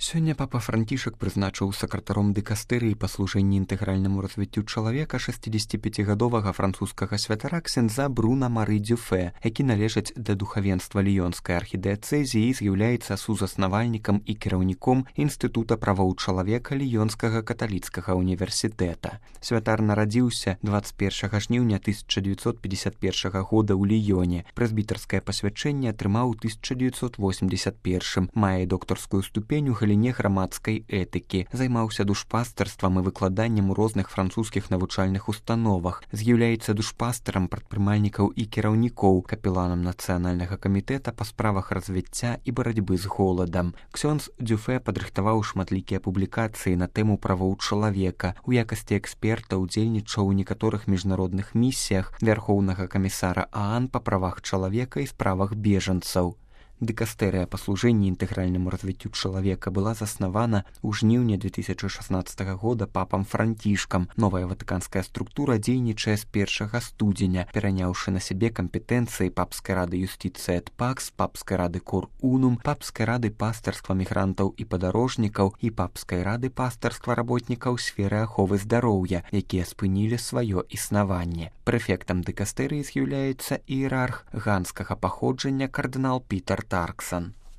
Сёння папа Францішак прызначыў сакратаром дыкастэрыі па служэнні інтэгральнаму развіццю чалавека 65гадовага французскага святара ксяндза Бруна Мары Дюфе, які належыць да духавенства ліёнскай архідыяцэзіі і з'яўляецца сузаснавальнікам і кіраўніком Інстытута правоў чалавека Ліёнскага каталіцкага універсітэта. Святар нарадзіўся 21 жніўня 1951 года ў Ліёне. Прэзбітарскае пасвячэнне атрымаў у 1981, мае доктарскую ступень у галіне грамадскай этыкі, займаўся душпастарствам і выкладаннем у розных французскіх навучальных установах, з'яўляецца душпастарам прадпрымальнікаў і кіраўнікоў, капеланам нацыянальнага камітэта па справах развіцця і барацьбы з голадам. Ксёндз Дюфе падрыхтаваў шматлікія публікацыі на тэму правоў чалавека. У якасці эксперта ўдзельнічаў у некаторых міжнародных місіях Вярхоўнага камісара ААН па правах чалавека і справах бежанцаў. Дыкастэрыя па служэнні інтэгральнаму развіццю чалавека была заснавана ў жніўні 2016 года папам Францішкам. Новая ватыканская структура дзейнічае з 1 студзеня, пераняўшы на сябе кампетэнцыі папскай рады юстыцыі эт пакс, папскай рады кор унум, папскай рады пастарства мігрантаў і падарожнікаў і папскай рады пастарства работнікаў сферы аховы здароўя, якія спынілі сваё існаванне. Прэфектам дыкастэрыі з'яўляецца іерарх ганскага паходжання кардынал Пітер Тарксан.